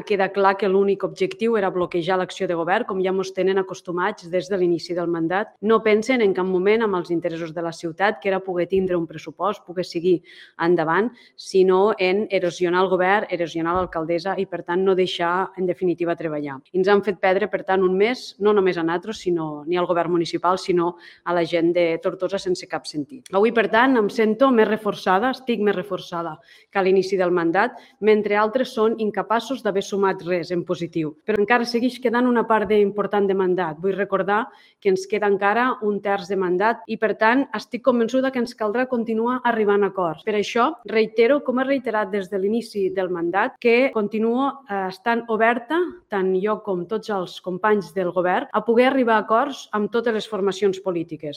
Queda clar que l'únic objectiu era bloquejar l'acció de govern, com ja ens tenen acostumats des de l'inici del mandat. No pensen en cap moment amb els interessos de la ciutat, que era poder tindre un pressupost, poder seguir endavant, sinó en erosionar el govern, erosionar l'alcaldessa i, per tant, no deixar, en definitiva, treballar. I ens han fet perdre, per tant, un mes, no només a nosaltres, sinó ni al govern municipal, sinó a la gent de Tortosa sense cap sentit. Avui, per tant, em sento més reforçada, estic més reforçada que a l'inici del mandat, mentre altres són incapaços d'haver sumat res en positiu. Però encara segueix quedant una part important de mandat. Vull recordar que ens queda encara un terç de mandat i, per tant, estic convençuda que ens caldrà continuar arribant a acords. Per això, reitero, com he reiterat des de l'inici del mandat, que continuo estant oberta, tant jo com tots els companys del govern, a poder arribar a acords amb totes les formacions polítiques.